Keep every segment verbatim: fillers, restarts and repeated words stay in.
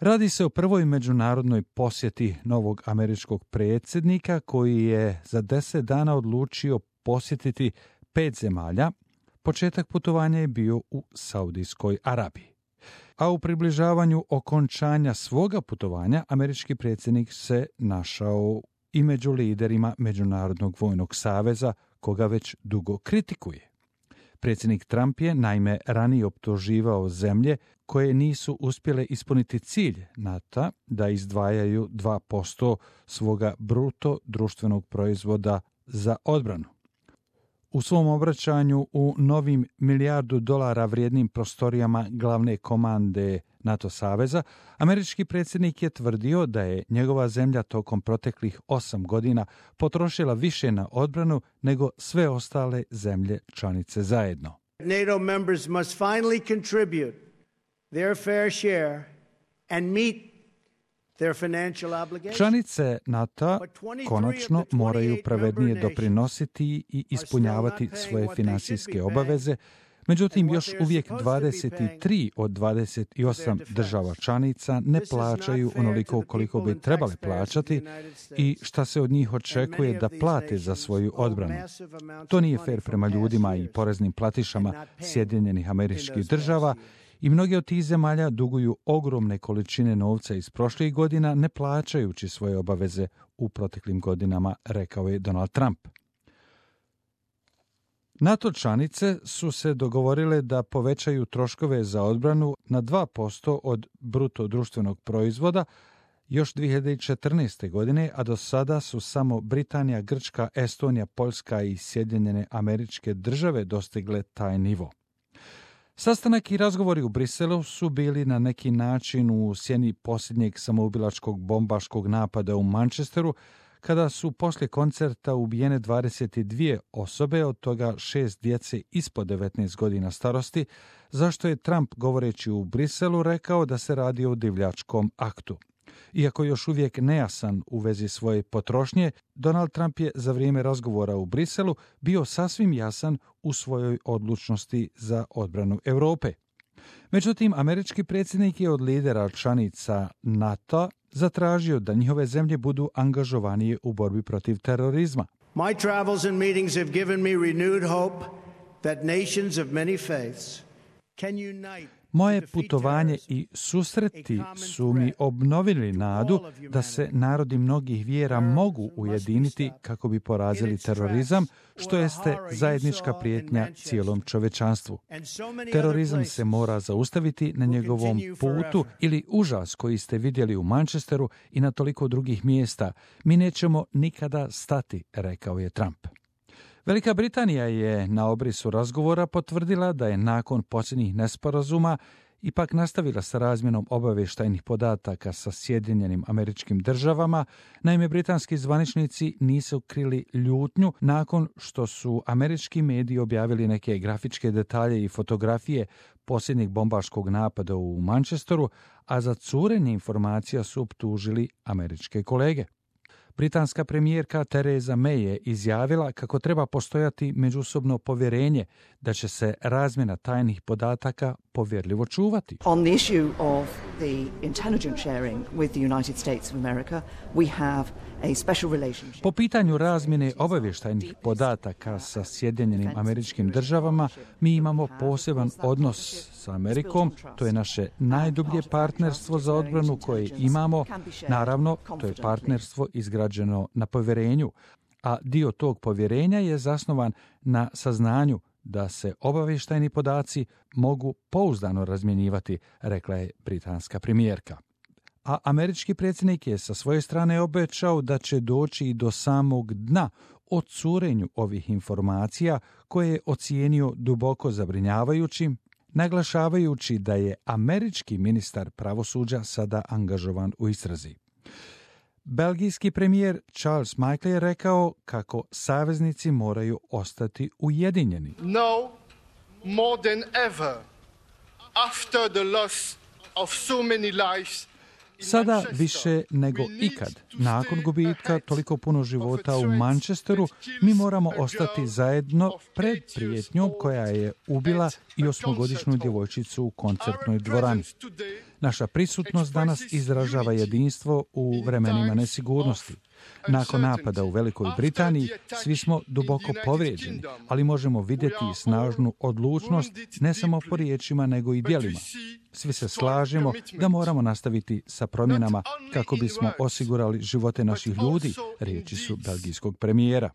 Radi se o prvoj međunarodnoj posjeti novog američkog predsjednika koji je za deset dana odlučio posjetiti pet zemalja. Početak putovanja je bio u Saudijskoj Arabiji. A u približavanju okončanja svoga putovanja američki predsjednik se našao i među liderima Međunarodnog vojnog saveza, koga već dugo kritikuje. Predsjednik Trump je naime ranije optuživao zemlje koje nisu uspjele ispuniti cilj NATO da izdvajaju dva posto svoga bruto društvenog proizvoda za odbranu. U svom obraćanju u novim milijardu dolara vrijednim prostorijama glavne komande NATO saveza, američki predsjednik je tvrdio da je njegova zemlja tokom proteklih osam godina potrošila više na odbranu nego sve ostale zemlje članice zajedno. NATO members must finally contribute their fair share and meet their financial obligations. Članice NATO konačno moraju pravednije doprinositi i ispunjavati svoje financijske obaveze. Međutim, još uvijek dvadeset tri od dvadeset osam država članica ne plaćaju onoliko koliko bi trebale plaćati i šta se od njih očekuje da plate za svoju odbranu. To nije fer prema ljudima i poreznim platišama Sjedinjenih Američkih Država i mnoge od tih zemalja duguju ogromne količine novca iz prošlih godina ne plaćajući svoje obaveze u proteklim godinama, rekao je Donald Trump. NATO članice su se dogovorile da povećaju troškove za odbranu na dva posto od bruto društvenog proizvoda još dvije hiljade četrnaeste. godine, a do sada su samo Britanija, Grčka, Estonija, Poljska i Sjedinjene Američke Države dostigle taj nivo. Sastanak i razgovori u Briselu su bili na neki način u sjeni posljednjeg samoubilačkog bombaškog napada u Manchesteru, kada su poslije koncerta ubijene dvadeset dvije osobe, od toga šest djece ispod devetnaest godina starosti, zašto je Trump, govoreći u Briselu, rekao da se radi o divljačkom aktu. Iako još uvijek nejasan u vezi svoje potrošnje, Donald Trump je za vrijeme razgovora u Briselu bio sasvim jasan u svojoj odlučnosti za odbranu Europe. Međutim, američki predsjednik je od lidera članica NATO zatražio da njihove zemlje budu angažovanije u borbi protiv terorizma. My travels and meetings have given me renewed hope that nations of many faiths can unite. Moje putovanje i susreti su mi obnovili nadu da se narodi mnogih vjera mogu ujediniti kako bi porazili terorizam, što jeste zajednička prijetnja cijelom čovječanstvu. Terorizam se mora zaustaviti na njegovom putu ili užas koji ste vidjeli u Manchesteru i na toliko drugih mjesta. Mi nećemo nikada stati, rekao je Trump. Velika Britanija je na obrisu razgovora potvrdila da je nakon posljednjih nesporazuma ipak nastavila sa razmjenom obavještajnih podataka sa Sjedinjenim Američkim Državama. Naime, britanski zvaničnici nisu krili ljutnju nakon što su američki mediji objavili neke grafičke detalje i fotografije posljednjeg bombaškog napada u Manchesteru, a za curenje informacija su optužili američke kolege. Britanska premijerka Theresa May je izjavila kako treba postojati međusobno povjerenje da će se razmjena tajnih podataka povjerljivo čuvati. On the issue of the intelligence sharing with the United States of America, we have a special relationship. Po pitanju razmjene obavještajnih podataka sa Sjedinjenim Američkim Državama, mi imamo poseban odnos sa Amerikom. To je naše najdublje partnerstvo za odbranu koje imamo. Naravno, to je partnerstvo izgrađeno na povjerenju, a dio tog povjerenja je zasnovan na saznanju da se obavještajni podaci mogu pouzdano razmjenjivati, rekla je britanska premijerka. A američki predsjednik je sa svoje strane obećao da će doći i do samog dna o curenju ovih informacija, koje je ocijenio duboko zabrinjavajućim, naglašavajući da je američki ministar pravosuđa sada angažovan u istrazi. Belgijski premijer Charles Michel je rekao kako saveznici moraju ostati ujedinjeni. Now, more than ever, after the loss of so many lives, Sada više nego ikad, nakon gubitka toliko puno života u Manchesteru, mi moramo ostati zajedno pred prijetnjom koja je ubila i osmogodišnju djevojčicu u koncertnoj dvorani. Naša prisutnost danas izražava jedinstvo u vremenima nesigurnosti. Nakon napada u Velikoj Britaniji svi smo duboko povrijeđeni, ali možemo vidjeti snažnu odlučnost ne samo po riječima nego i djelima. Svi se slažemo da moramo nastaviti sa promjenama kako bismo osigurali živote naših ljudi, riječi su belgijskog premijera.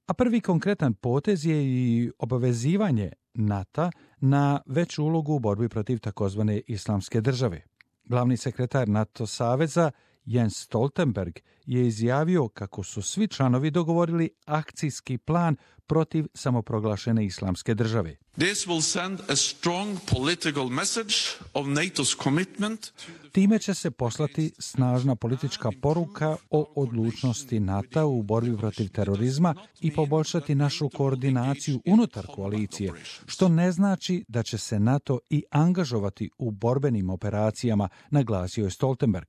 A prvi konkretan potez je i obavezivanje NATO na veću ulogu u borbi protiv takozvane islamske države. Glavni sekretar NATO saveza Jens Stoltenberg je izjavio kako su svi članovi dogovorili akcijski plan protiv samoproglašene islamske države. This will send a strong political message of NATO's commitment. Time će se poslati snažna politička poruka o odlučnosti NATO u borbi protiv terorizma i poboljšati našu koordinaciju unutar koalicije, što ne znači da će se NATO i angažovati u borbenim operacijama, naglasio je Stoltenberg.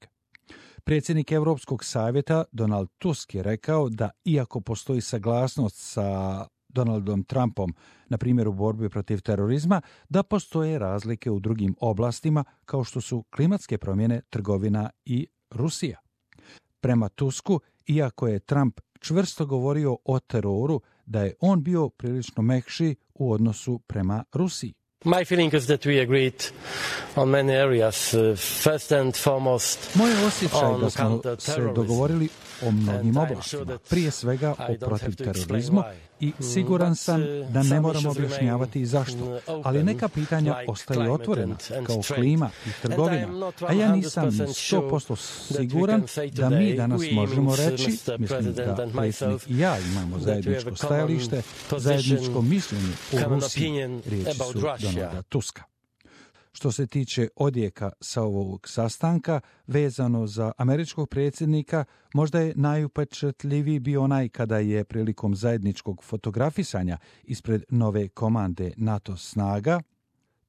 Predsjednik Europskog savjeta Donald Tusk je rekao da iako postoji saglasnost sa Donaldom Trumpom, na primjer u borbi protiv terorizma, da postoje razlike u drugim oblastima kao što su klimatske promjene, trgovina i Rusija. Prema Tusku, iako je Trump čvrsto govorio o teroru, da je on bio prilično mekši u odnosu prema Rusiji. My feeling is that we agreed on many areas, uh, first and foremost. Moj osjećaj je da smo se dogovorili o mnogim oblastima, prije svega o protiv terorizmu i siguran sam da ne moramo objašnjavati zašto, ali neka pitanja ostaju otvorena, kao klima i trgovina, a ja nisam sto posto siguran da mi danas možemo reći, mislim da predsjednik i ja imamo zajedničko stajalište, zajedničko mišljenje o Rusiji, riječi su Donalda Tuska. Što se tiče odjeka sa ovog sastanka, vezano za američkog predsjednika, možda je najupečatljiviji bio onaj kada je prilikom zajedničkog fotografisanja ispred nove komande NATO snaga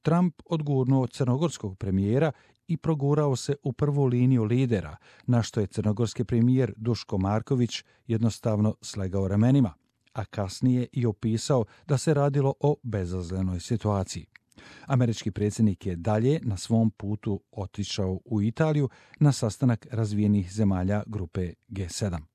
Trump odgurnuo crnogorskog premijera i progurao se u prvu liniju lidera, na što je crnogorski premijer Duško Marković jednostavno slegao ramenima, a kasnije i opisao da se radilo o bezazlenoj situaciji. Američki predsjednik je dalje na svom putu otišao u Italiju na sastanak razvijenih zemalja grupe G sedam.